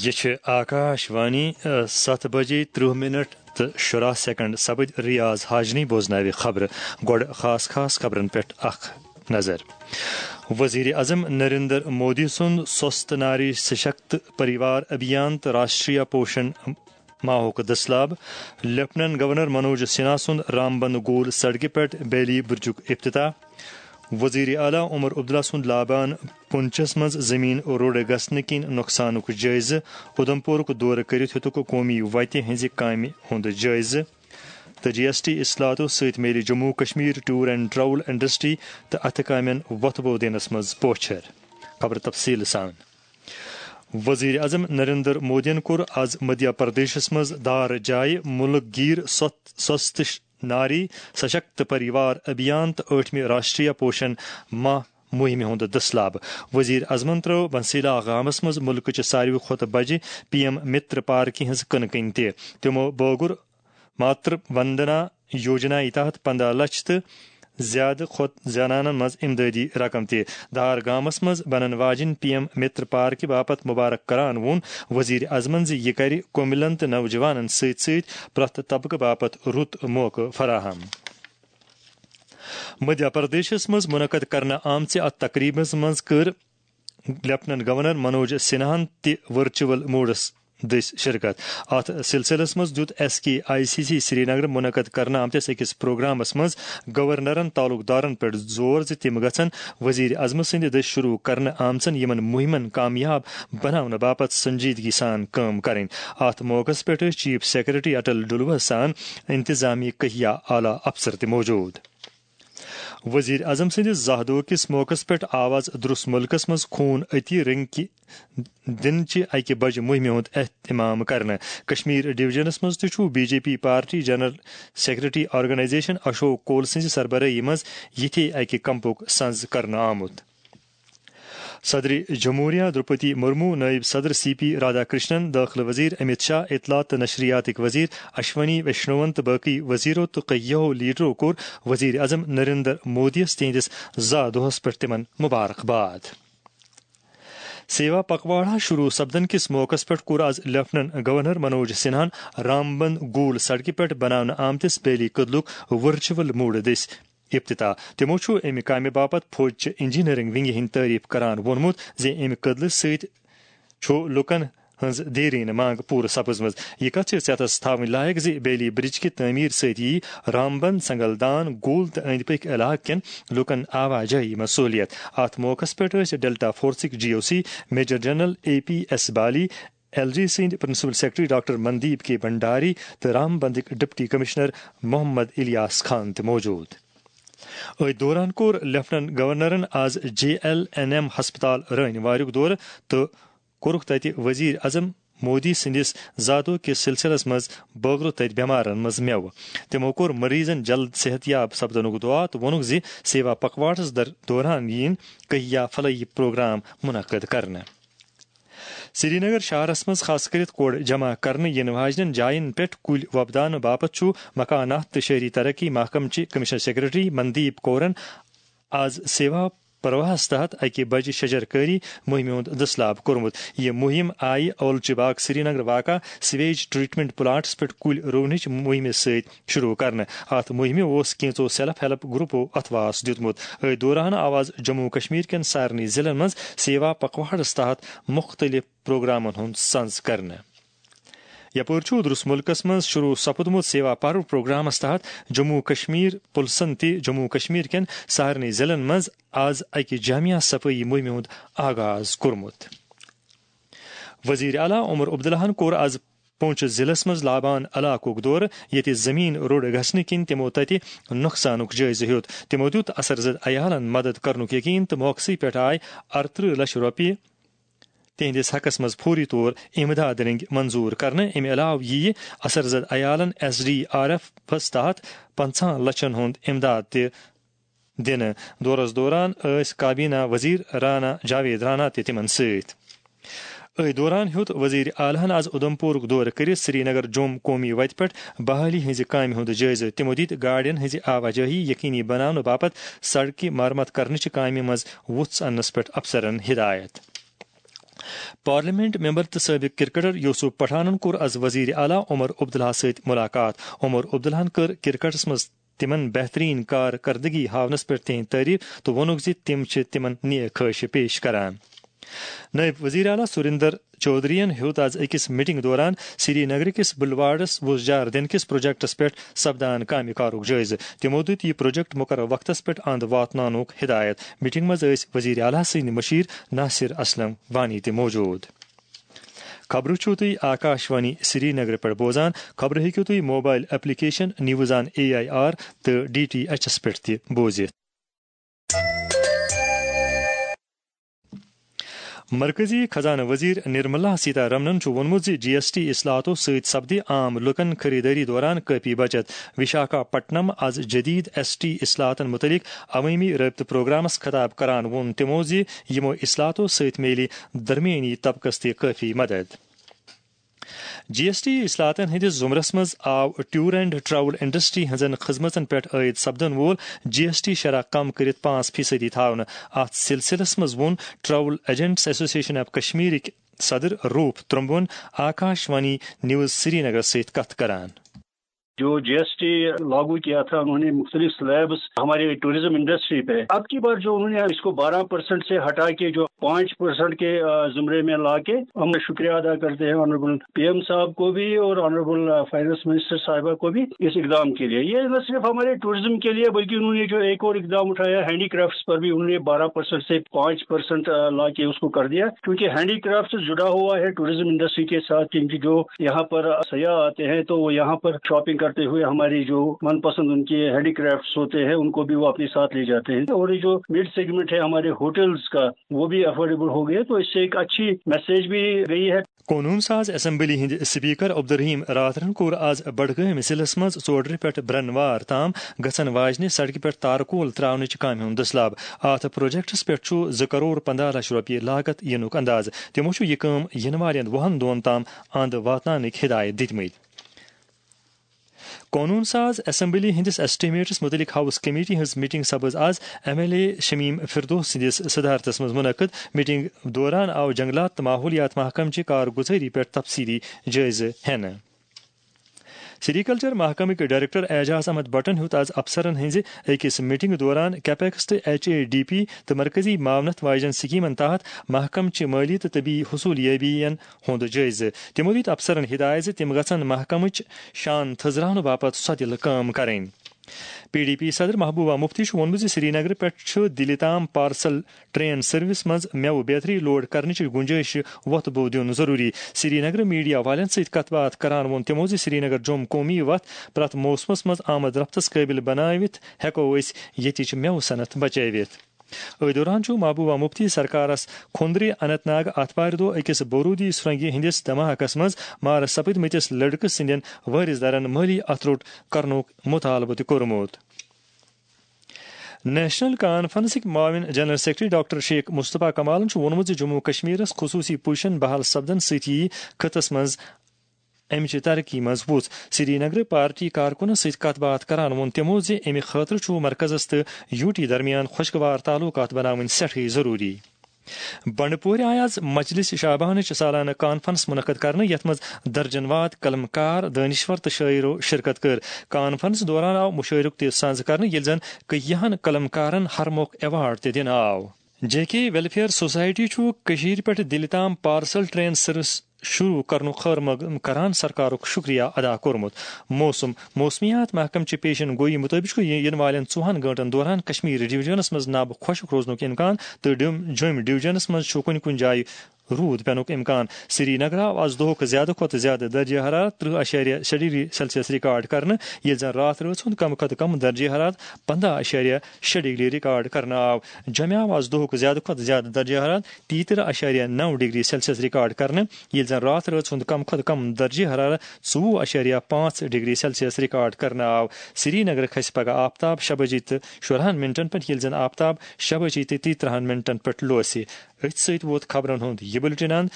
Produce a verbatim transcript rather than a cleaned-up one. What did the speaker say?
یہِ چھِ آکاش وانی، ستھ بجے ترٕہ منٹ تہٕ شُراہ سیکنڈ سپٕدۍ۔ ریاض حاجنی بوزناوِ خبرٕ۔ گۄڈٕ خاص خاص خبرن پٮ۪ٹھ اکھ نظر۔ وزیر اعظم نریندر مودی سُنٛد سوست ناری سشکت پریوار ابھیان تہٕ راشٹریہ پوشن ماہُک دٔسلاب۔ لیفٹیننٹ گورنر منوج سنہا سُنٛد رامبند گول سڑکہِ پٮ۪ٹھ بیلی برجُک افتتاح۔ وزیر اعلیٰ عمر عبداللہ سُنٛد لابان پونچھس منٛز زمین روڑ گژھنہٕ کِنۍ نۄقصانُک جٲیزٕ۔ اُدھمپورُک دورٕ کٔرِتھ ہیوٚتُکھ قومی وتہِ ہٕنٛزِ کامہِ ہُنٛد جٲیزٕ۔ تہٕ جی ایس ٹی اصلاحاتو سۭتۍ میلہِ Jammu Kashmir tour and travel industry تہٕ اتھٕ کامٮ۪ن وۄتھٕ بو دِنس منٛز پوچھر۔ خبر تفصیل سان۔ وزیر اعظم نریندر مودیَن کوٚر آز مدھیہ پردیشس منٛز دار جایہِ ملک گیر سوست، سوست ناری سشکت پریوار ابھیان تہٕ ٲٹھمہِ راشٹریہ پوشن ماہ مُہِمہِ ہُنٛد دٔسلاب۔ وزیر اعظمن ترٲو بنسیلا گامس منٛز مُلکٕچہِ ساروی کھۄتہٕ بجہِ پی ایم متر پارکہِ ہٕنٛز کٕنہٕ کٔنۍ تہِ۔ تِمو بٲگُر ماتر وندنا یوجنا تحت پنداہ لچھ تہٕ زیادٕ کھۄتہٕ زنانن منٛز امدادی رقم تہِ۔ دار گامس منٛز بنن واجِنۍ پی ایم متر پارکہِ باپتھ مبارک کران ووٚن وزیر اعظمن زِ یہِ کرِ کُمِلن تہٕ نوجوانن سۭتۍ سۭتۍ پرٛٮ۪تھ طبقہٕ باپتھ رُت موقعہٕ فراہم۔ مدھیہ پردیشس منٛز منعقد کرنہٕ آمژِ اتھ تقریبس منٛز کٔر لیفٹیننٹ گورنر منوج سنہاہن تہِ ورچوئل موڈس دٔسۍ شرکت۔ اتھ سلسلس منٛز دیُت S K I C C Srinagar منعقد کرنہٕ آمتِس أکِس پروگرامس منٛز گورنرن تعلق دارن پٮ۪ٹھ زور زِ تِم گژھن وزیر اعظم سٕنٛدِ دٔسۍ شروع کرنہٕ آمژن یِمن مُہِمن کامیاب بناونہٕ باپتھ سنجیدگی سان کٲم کرٕنۍ۔ اتھ موقعس پٮ۪ٹھ ٲسۍ چیف سیکرٹری اٹل ڈلوہس سان انتظامی کہیا اعلیٰ افسر تہِ موجود۔ وزیر اعظم سٕنٛدِس زاہ دۄہ کِس موقعس پٮ۪ٹھ آو آز درُس مُلکس منٛز خوٗن عطیہ رنگہِ دِنہٕ چہِ اکہِ بجہِ مُہِمہِ ہُنٛد اہتمام کرنہٕ۔ کشمیر ڈویژنس منٛز تہِ چھُ B J P party general secretary organisation Ashok Koul سٕنٛزِ سربرٲہی منٛز یِتھے اکہِ کیمپُک سنز کرنہٕ آمُت۔ صدر جمہوریہ دروپدی مرمو، نائب صدر سی پی رادھا کرشنن، داخلہ وزیر امیت شاہ، اطلاعات تہٕ نشریاتٕکۍ وزیر اشونی ویشنون تہٕ باقی وزیرو تہٕ کئیو لیڈرو کوٚر وزیر اعظم نریندر مودیَس تِہنٛدِس زا دۄہس پٮ۪ٹھ تِمن مبارک باد۔ سیوا پکواڑا شروع سپدن کِس موقعس پٮ۪ٹھ کوٚر آز لیفٹیننٹ گورنر منوج سنہاہن رامبند گول سڑکہِ پٮ۪ٹھ بناونہٕ آمتِس بیلی کدلُک ورچوئل موڈ دٔسۍ افتتاح۔ تِمو چھُ اَمہِ کامہِ باپتھ فوجچہِ انجینئرنگ ونگہِ ہٕنٛدۍ تعریف کران ووٚنمُت زِ اَمہِ کدلہٕ سۭتۍ چھُ لوٗکن ہٕنٛز دیرینہٕ منٛگ پوٗرٕ سپٕزمٕژ۔ یہِ کتھ چھِ ژیتس تھاوٕنۍ لایق زِ بیلی برج کہِ تعمیٖر سۭتۍ یِیہِ رامبن، سنگلدان، گول تہٕ أنٛدۍ پٔکۍ علاقہٕ کٮ۪ن لوٗکن آواجٲہی منٛز سہوٗلیت۔ اتھ موقعس پٮ۪ٹھ ٲسۍ ڈیلٹا فورسٕکۍ G O C major general A P S Bali, L G سٕنٛدۍ principal secretary doctor Mandeep K Bhandari تہٕ رامبندٕکۍ ڈپٹی کمشنر محمد الیاس خان تہِ موجود۔ أتھۍ دوران کوٚر لیفٹیننٹ گورنرن آز جے ایل این ایم ہسپتال رٲنۍ واریُک دورٕ تہٕ کوٚرُکھ تَتہِ وزیر اعظم مودی سٕنٛدِس زادو کِس سلسلس منٛز بٲگرو تَتہِ بٮ۪مارن منٛز مٮ۪وٕ۔ تِمو کوٚر مریضن جلد صحت یاب سپدنُک دعا تہٕ ووٚنُکھ زِ سیوا پکواڑس در-، دوران یِن کہیا فلاحی پروگرام منعقد کرنہٕ۔ سرینگر شہرس منٛز خاص کٔرِتھ کوڑ جمع کرنہٕ یِنہٕ واجنٮ۪ن جاین پٮ۪ٹھ کُلۍ وۄپداونہٕ باپتھ چھُ مکانات تہٕ شہری ترقی محکمہٕ چہِ کمشنر سیکرٹری مندیپ کورن آز سیوا پرواہس تحت اکہِ بجہِ شجر کٲری مُہِمہِ ہُنٛد دٔسلاب کوٚرمُت۔ یہِ مُہِم آیہِ اولچہِ باغ سرینگر واقع سیویج ٹریٹمنٹ پلانٹس پٮ۪ٹھ کُلۍ رُونٕچ مُہِمہِ سۭتۍ شروع کرنہٕ۔ اتھ مُہِمہِ اوس کینٛژو سیلف ہیلپ گروپو اتھواس دیُتمُت۔ أتھۍ دوران آو آز جموں کشمیر کٮ۪ن سارنٕے ضلعن منٛز سیوا پکواڑس تحت مُختٔلِف پروگرامن ہُنٛد سنز کرنہٕ۔ یپٲرۍ چھُ درُس مُلکس منٛز شروع سپُدمُت سیوا پرو پروگرامس تحت جموں کشمیر پُلسن تہِ جموں کشمیر کٮ۪ن سارنٕے ضلعن منٛز آز اکہِ جامع صفٲیی مُہِمہِ ہُنٛد آغاز کوٚرمُت۔ وزیر اعلیٰ عمر عبداللہن کوٚر آز پونچھ ضلعس منٛز لابان علاقُک دورٕ، ییٚتہِ زمین روٚڑ گژھنہٕ کِنۍ تِمو تَتہِ نۄقصانُک جٲیزٕ ہیوٚت۔ تِمو دیُت اثر زد عیالَن مدد کرنُک یقین تہٕ موقعسٕے پٮ۪ٹھ آے اَرترٕہ لچھ رۄپیہِ تِہنٛدِس حقس منٛز فوری طور امداد رٔنگۍ منظور کرنہٕ۔ امہِ علاوٕ یِیہِ اثر زد عیالَن ایس ڈی آر ایفس تحت پنٛژاہَن لچھن ہُنٛد امداد تہِ دِنہٕ۔ دورس دوران ٲسۍ کابینہ وزیر رانا جاوید رانا تہِ تِمن سۭتۍ۔ أتھۍ دوران ہیوٚت وزیر اعلیٰ ہن آز اُدھمپورُک دورٕ کٔرِتھ سرینگر جوم قومی وتہِ پٮ۪ٹھ بحالی ہٕنٛزِ کامہِ ہُنٛد جٲیزٕ۔ تِمو دِتۍ گاڑٮ۪ن ہٕنٛزِ آواجٲہی یقینی بناونہٕ باپتھ سڑکہِ مرمت کرنٕچہِ کامہِ منٛز وُژھ اننس پٮ۪ٹھ افسرن ہدایت۔ پارلیمنٹ ممبر تہٕ سٲبق کرکٹر یوسف پٹھانن کوٚر از وزیر اعلیٰ عمر عبداللہ سۭتۍ ملاقات۔ عمر عبداللہن کٔر کرکٹس منٛز تِمن بہترین کارکردگی ہاونس پٮ۪ٹھ تِہنٛد تعریف تہٕ ووٚنُکھ زِ تِم چھِ تِمن نیک خواہشہِ پیش کران۔ نائب وزیر اعلیٰ سریندر چودھرین ہیوٚت از أکِس میٹنگ دوران سری نگر کِس بلواڑس وُژھ جار دِنہٕ کِس پروجیکٹس پٮ۪ٹھ سپدان کامہِ کارُک جٲیزٕ۔ تِمو دِیُت یہِ پروجیکٹ مقررٕ وقتس پٮ۪ٹھ اند واتناونُک ہدایت۔ میٹنگ منٛز ٲسۍ وزیر اعلیٰ سٕنٛدۍ مشیر ناصر اسلم وانی تہِ موجود۔ خبرٕ چھِو تُہۍ آکاشوانی سری نگر پٮ۪ٹھ بوزان۔ خبرٕ ہیٚکِو تُہۍ mobile application news on A I R تہٕ ڈی ٹی ایچ ایس پٮ۪ٹھ تہِ بوٗزِتھ۔ مرکزی خزانہٕ وزیر نرملا سیتارمنن چھُ ووٚنمُت زِ جی ایس ٹی اصلاحاتو سۭتۍ سپدِ عام لوٗکَن خریدٲری دوران کٲفی بچت۔ وشاکھا پٹنم از جدید ایس ٹی اصلاحاتن متعلق عوٲمی رٲبطہٕ پروگرامس خطاب کران ووٚن تِمو زِ یِمو اصلاحاتو سۭتۍ میلہِ درمیٲنی طبقس تہِ کٲفی مدد۔ جی ایس ٹی اصلاحاتن ہٕنٛدِس زمرس منٛز آو ٹور اینڈ ٹریول انڈسٹری ہٕنٛزن خدمژن پٮ۪ٹھ عائد سپدن وول جی ایس ٹی شرح کم کٔرِتھ پانٛژھ فیصدی تھاونہٕ۔ اتھ سلسلس منٛز ووٚن ٹریول ایجنٹس ایسوسیشن آف کشمیرٕکۍ صدر روٗپ ترٛمبن آکاش وانی نیوز سری نگرس سۭتۍ کتھ کران۔ جو جی ایس ٹی لاگو کیا تھا انہوں نے مختلف سلیبس ہمارے ٹورازم انڈسٹری پہ، اب کی بار جو انہوں نے اس کو بارہ پرسینٹ سے ہٹا کے جو پانچ پرسینٹ کے زمرے میں لا کے ہم شکریہ ادا کرتے ہیں آنریبل پی ایم صاحب کو بھی اور آنریبل فائنانس منسٹر صاحبہ کو بھی اس اقدام کے لیے۔ یہ نہ صرف ہمارے ٹورازم کے لیے بلکہ انہوں نے جو ایک اور اقدام اٹھایا ہینڈی کرافٹس پر بھی انہوں نے بارہ پرسینٹ سے پانچ پرسینٹ لا کے اس کو کر دیا، کیونکہ ہینڈی کرافٹ جڑا ہوا ہے ٹورازم انڈسٹری کے ساتھ، کیونکہ جو یہاں پر سیاح آتے ہیں تو وہ یہاں پر شاپنگ کرتے ہوئے ہماری جو من پسند ان کے ہینڈی کرافٹس ہوتے ہیں ان کو بھی وہ اپنے ساتھ لے جاتے ہیں۔ اور یہ جو مڈ سیگمنٹ ہے ہمارے ہوٹلز کا، وہ بھی افورڈیبل ہو گئے، تو اس سے ایک اچھی میسج بھی گئی ہے۔ قونون ساز اسمبلی ہٕنٛدۍ سپیکر عبدالرحیم راتھرن کوٚر از بڈگٲمۍ ضلعس منٛز ژوڈرِ پٮ۪ٹھ برنوار تام گژھن واجنہِ سڑکہِ پٮ۪ٹھ تارکول تراونٕچ کامہِ ہُنٛد دٔسلاب۔ اتھ پروجیکٹس پٮ۪ٹھ چھُ زٕ کرور پنداہ لچھ رۄپیہِ لاگت یِنُک اندازٕ۔ تِمو چھُ یہِ کٲم یِنہٕ والٮ۪ن وُہن دۄہن تام اند واتناونٕکۍ ہدایت دِتمٕتۍ۔ قونون ساز اسمبلی ہٕنٛدِس ایسٹیمیٹس مُتعلق ہاؤس کمیٹی ہٕنٛز میٹنگ سپٕز از M L A Shamim Firdous سٕنٛدِس صدارتس منٛز منعقد۔ میٹنگ دوران آو جنگلات تہٕ ماحولیات محکمہٕ چہِ کارگُزٲری پٮ۪ٹھ تفصیلی جٲیزٕ ہٮ۪نہٕ۔ سیریکلچر محکمٕکۍ ڈائریکٹر اعجاز احمد بٹن ہیوٚت از افسرن ہٕنٛزِ أکِس میٹنگ دوران کیپیکس تہٕ ایچ اے ڈی پی تہٕ مرکزی معاونت واجٮ۪ن سکیمن تحت محکمہٕ چہِ مٲلی تہٕ طبی حصولیابین ہُنٛد جٲیزٕ۔ تِمو دِتۍ افسرن ہدایت زِ تِم گژھن محکمٕچ شان تھٔزراونہٕ باپتھ سۄدِلہٕ کٲم کرٕنۍ۔ پی ڈی پی صدر محبوبہ مفتی چھُ ووٚنمُت زِ سرینگرٕ پٮ۪ٹھ چھُ دِلہِ تام پارسل ٹرین سروس منٛز مٮ۪وٕ بیتری لوڈ کرنٕچ گُنجٲیشہِ وۄتھٕ بوٚو دیُن ضروٗری۔ سرینگرٕ میڈیا والٮ۪ن سۭتۍ کتھ باتھ کران ووٚن تِمو زِ سرینگر جوٚم قومی وتھ پرٛٮ۪تھ موسمس منٛز آمد رفتس قٲبل بنٲوِتھ ہٮ۪کو أسۍ ییٚتِچ مٮ۪وٕ صنعت بچٲوِتھ۔ أتھۍ دوران چھُ محبوبہ مفتی سرکارس کھوندرِ اننت ناگ آتھوارِ دۄہ أکِس بارودی سرنگہِ ہٕنٛدِس دھماکس منٛز مارٕ سپٕدمٕتِس لڑکہٕ سٕنٛدٮ۪ن وٲرِث دارن مٲلی اتھٕ روٚٹ کرنُک مطالبہٕ تہِ کوٚرمُت۔ نیشنل کانفرنسٕکۍ معاون جنرل سیکرٹری ڈاکٹر شیخ مصطفیٰ کمالن چھُ ووٚنمُت زِ جموں و کشمیرس خصوٗصی پوزیشن بحال سپدن سۭتۍ یِیہِ خطس منٛز امہِ چہِ ترقی منٛز وُژھ۔ سری نگرٕ پارٹی کارکُنن سۭتۍ کتھ باتھ کران ووٚن تِمو زِ امہِ خٲطرٕ چھُ مرکزس تہٕ یوٗ ٹی درمیان خۄشگوار تعلقات بناوٕنۍ سٮ۪ٹھٕے ضروٗری۔ بنڈپورِ آیہِ آز مجلس شعبانٕچ سالانہٕ کانفرنس منعقد کرنہٕ، یتھ منٛز درجن واد قلم کار، دٲنشور تہٕ شٲعرو شرکت کٔر۔ کانفرنس دوران آو مُشٲعرُک تہِ سنز کرنہٕ، ییٚلہِ زن کٔہیاہن قلم کارن ہرموکھ ایوارڈ تہِ دِنہٕ آو۔ جے کے ویلفیئر سوسائٹی چھُ کٔشیٖرِ پٮ۪ٹھ دِلہِ تام پارسل ٹرین سروس شروع کرنُک خٲر مقدم کران سرکارُک شکریہ ادا کوٚرمُت۔ موسم، موسمیات محکمہٕ چہِ پیشن گویی مُطٲبِق چھُ یہِ یِنہٕ والٮ۪ن ژوٚوُہن گٲنٛٹن دوران کشمیر ڈویژنس منٛز نب خۄشک روزنُک امکان تہٕ ڈیوم-، جوٚمۍ ڈویژنس منٛز چھُ کُنہِ کُنہِ جایہِ روٗد پٮ۪نُک امکان۔ سری نگر آو از دۄہُک زیادٕ کھۄتہٕ زیادٕ درجہ حرارت ترٕہ اعشاریہ شےٚ ڈگری سیلسیس ریکارڈ کرنہٕ، ییٚلہِ زن راتھ رٲژ ہُنٛد کم کھۄتہٕ کم درجہ حرارت پنداہ اعشاریہ شےٚ ڈگری ریکارڈ کرنہٕ آو۔ جوٚمہِ آو از دۄہُک زیادٕ کھۄتہٕ زیادٕ درجہ حرارت تیترہ اعشاریہ نو ڈگری سیلسیس ریکارڈ کرنہٕ، ییٚلہِ زن راتھ رٲژ ہُنٛد کم کھۄتہٕ کم درجہ حرارت ژوٚوُہ اعشاریہ پانٛژھ ڈگری سیلسیس ریکارڈ کرنہٕ آو۔ سری نگر کھسہِ پگہہ آفتاب شےٚ بجے تہٕ شُراہن منٹن پٮ۪ٹھ، ییٚلہِ زن آفتاب شےٚ بجے تہٕ تیترہن منٹن پٮ۪ٹھ لوسہِ۔ أتھۍ سۭتۍ ووت خبرن ہُنٛد یہِ بُلٹن اند۔